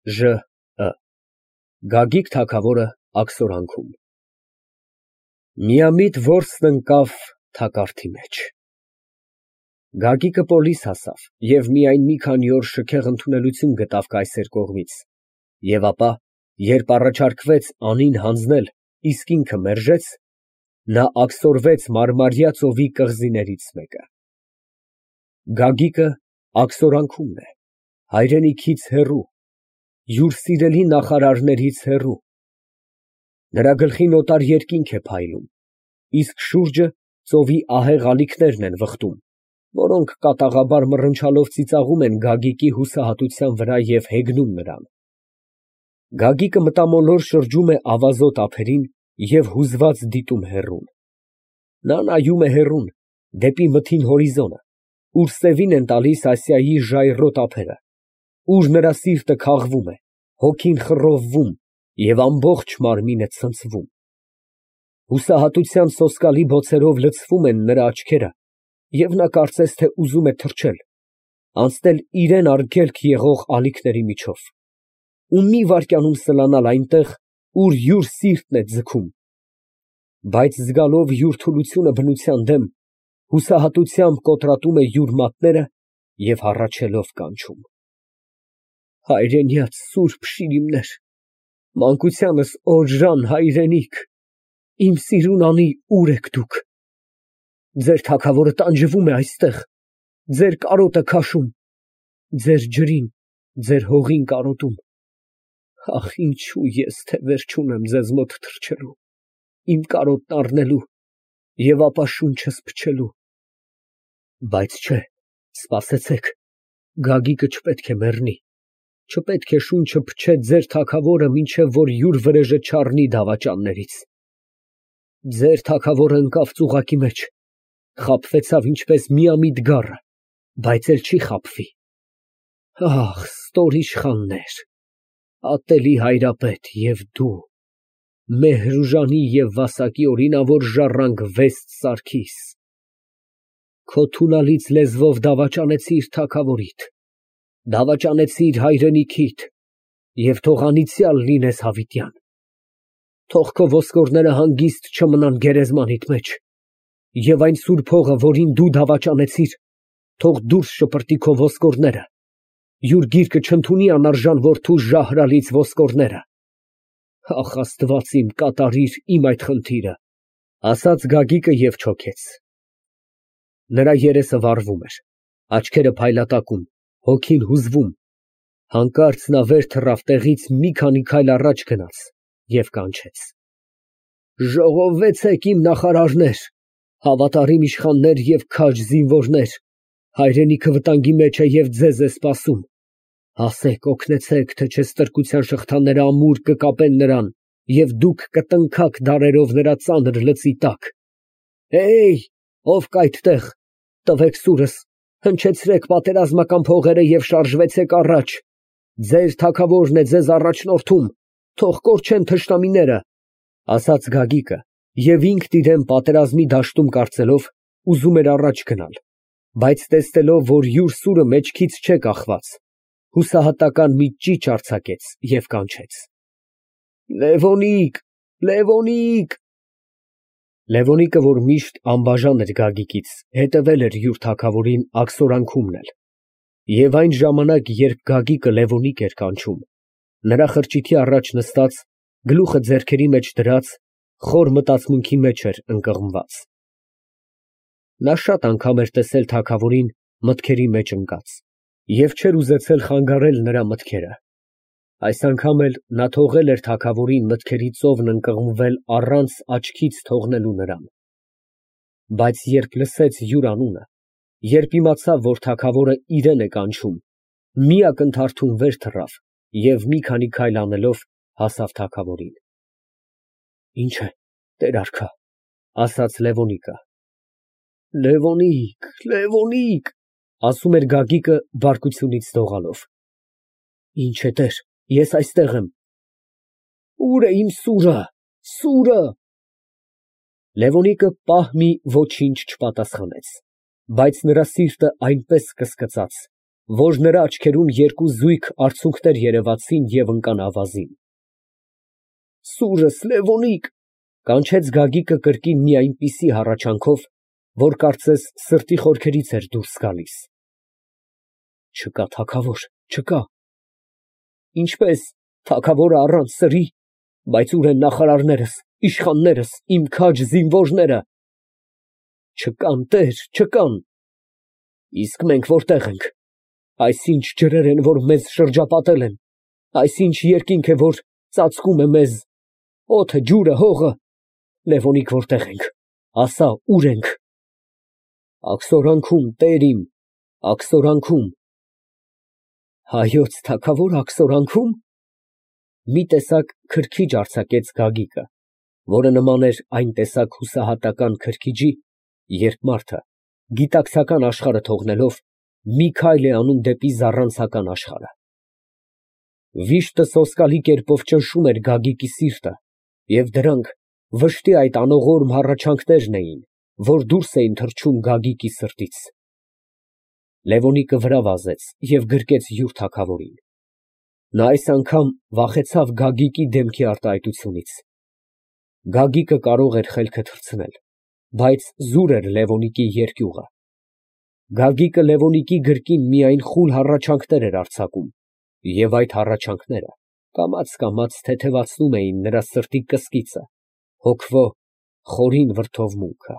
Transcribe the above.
Ժ. Գագիկ թագավորը աքսորանքում։ Միամիտ որսն ընկավ թակարդի մեջ։ Գագիկը պոլիս հասավ և միայն մի քանի օր շքեղ ընդունելություն գտավ կայսեր կողմից, և ապա, երբ առաջարկվեց անին հանձնել, իսկ ինքը մերժեց, նա աքսորվեց Մարմարյա ծովի կղզիներից մեկը։ Գագիկը աքսորանքումն է, հայրենիքից հեռու, յուր սիրելի նախարարներից հեռու, նրա գլխին օտար երկինք է փայլում, իսկ շուրջը ծովի ահեղ ալիքներն են վխտում, որոնք կատաղաբար մռնչալով ծիծաղում են Գագիկի հուսահատության վրա և հեգնում նրան։ Գագիկը մտամոլոր շրջում է ավազոտ ափերին և հուզված դիտում հեռուն։ Նա նայում է հեռուն, դեպի մթին հորիզոնը, ուր սևին են տալիս Ասիայի ժայռոտ ափերը, ուր նրա սիրտը քաղվում է, հոգին խռովվում և ամբողջ մարմինը ցնցվում։ Հուսահատության սոսկալի բոցերով լցվում են նրա աչքերը, և նա կարծես թե ուզում է թռչել, անցնել իրան արգելք եղող ալիքների միջով ու մի վայրկյանում սլանալ այնտեղ, ուր յուր սիրտն է ձգում, բայց զգալով յուր թուլությունը բնության դեմ, հուսահատությամբ կոտրատում է յուր մատները և հառաչելով կանչում. Հայրենյաց սուրբ շիրիմներ, մանկությանս օժան հայրենիք, իմ սիրուն անի, ո՞ւր եք դուք։ Ձեր թագավորը տանջվում է այստեղ, ձեր կարոտը քաշում, ձեր ջրին, ձեր հողին կարոտում։ Ախ, ինչո՞ւ ես թևեր չունեմ ձեզ մոտ թռչելու, իմ կարոտն առնելու և ապա շունչս փչելու։ Բայց չէ, սպասեցեք, Գագիկը չպետք է մեռնի, չպետք է շունչը փչե ձեր թագավորը, մինչև որ յուր վրեժը չառնի դավաճաններից։ Ձեր թագավորը ընկավ ծուղակի մեջ, խաբվեցավ ինչպես միամիտ գառը, բայց էլ չի խաբվի։ Ախ, ստորիշխաններ, ատելի հայրապետ և դու, Մեհրուժանի և Վասակի օրինավոր ժառանգ Վեստ Սարգիս, քո թունալից լեզվով դավաճանեցիր թագավորիդ, դավաճանեցիր հայրենիքիդ և թող անիծյալ լինես հավիտյան։ Թող քո ոսկորները հանգիստ չմնան գերեզմանիդ մեջ, և այն սուրբ հողը, որին դու դավաճանեցիր, թող դուրս շպրտի քո ոսկորները, յուր գիրկը չընդունի անարժան որդու Ժահրալից ոսկորները։ Ախ, Աստված իմ, կատարիր իմ այդ խնդիրը, ասաց Գագիկը և չոքեց։ Նրա երեսը վառվում էր, աչքերը փայլատակում, հոգին հուզվում, հանկարծ նա վեր թռավ տեղից մի քանի քայլ առաջ գնաց և կանչեց. Ժողովվեցեք իմ նախարարներ, հավատարիմ իշխաններ և քաջ զինվորներ, հայրենիքը վտանգի մեջ է և ձեզ է սպասում, ասեք, օգնեցեք, թե չէ ստրկության շղթաները ամուր կկապեն նրան, և դուք կտնքաք դարերով նրա ծանր լծի տակ։ Ով կա այդտեղ, տվեք սուրս, հնչեցրեք պատերազմական փողերը և շարժվեցեք առաջ, ձեր թագավորն է ձեզ առաջնորդում, թող կորչեն թշնամիները, ասաց Գագիկը, և ինքն իրան պատերազմի դաշտում կարծելով, ուզում էր առաջ գնալ, բայց տեսնելով, որ յուր սուրը մեջքից չէ կախված, հուսահատական մի ճիչ արձակեց և կանչեց. Լևոնիկ, Լևոնիկ։ Լևոնիկը, որ միշտ անբաժան էր Գագիկից, հետևել էր յուր թագավորին աքսորանքումն էլ, և այն ժամանակ, երբ Գագիկը Լևոնիկ էր կանչում, նրա խրճիթի առաջ նստած, գլուխը ձեռքերի մեջ դրած, խոր մտածմունքի մեջ էր ընկղմված։ Նա շատ անգամ էր տեսել թագավորին մտքերի մեջ ընկած և չէր ուզեցել խանգարել նրա մտքերը։ Այս անգամ էլ նա թողել էր թագավորին մտքերի ծովն ընկղմվել առանց աչքից թողնելու նրան։ Բայց երբ լսեց յուր անունը, երբ իմացավ, որ թագավորը իրան է կանչում, մի ակնթարթում վեր թռավ և մի քանի քայլ անելով հասավ թագավորին։ Ինչ է, տեր արքա, ասաց Լևոնիկը։ Լևոնիկ, Լևոնիկ, ասում էր Գագիկը բարկությունից դողալով։ Ինչ է, տեր, ես այստեղ եմ։ Ո՞ւր է իմ սուրը, սուրը։ Լևոնիկը պահ մի ոչինչ չպատասխանեց, բայց նրա սիրտը այնպես կսկծաց, որ նրա աչքերում երկու զույգ արցունքներ երևացին և ընկան ավազին։ Սուրս, Լևոնիկ, կանչեց Գագիկը կրկին մի այնպիսի հառաչանքով, որ կարծես սրտի խորքերից էր դուրս գալիս։ Չկա թագավոր, չկա։ Ինչպես թագավորը առանց սրի, բայց ուր են նախարարներս, իշխաններս, իմ քաջ զինվորները։ Չկան, տեր, չկան։ Իսկ մենք որտեղ ենք։ Այսինչ ջրեր են, որ մեզ շրջապատել են, այսինչ երկինք է, որ ծածկում է մեզ, օդը, ջուրը, հողը։ Լևոնիկ, որտեղ ենք, ասա, ուր ենք։ Աքսորանքում, տեր իմ, աքսորանքում։ Հայոց թագավոր աքսորանքում։ Մի տեսակ քրքիջ արձակեց Գագիկը, որը նման էր այն տեսակ հուսահատական քրքիջի, երբ մարդը, գիտակցական աշխարհը թողնելով, մի քայլ է անում դեպի զառանցական աշխարհը։ Վիշտը սոսկալի կերպով ճնշում էր Գագիկի սիրտը, և դրանք վշտի այդ անողորմ հառաչանքներն էին, որ դուրս էին թռչում Գագիկի սրտից։ Լևոնիկը վրա վազեց և գրկեց յուր թագավորին։ Նա այս անգամ վախեցավ Գագիկի դեմքի արտահայտությունից։ Գագիկը կարող էր խելքը թռցնել, բայց զուր էր Լևոնիկի երկյուղը։ Գագիկը Լևոնիկի գրկին միայն խուլ հառաչանքներ էր արձակում, և այդ հառաչանքները կամաց թեթևացնում էին նրա սրտի կսկիծը, հոգվո խորին վրդովմունքը։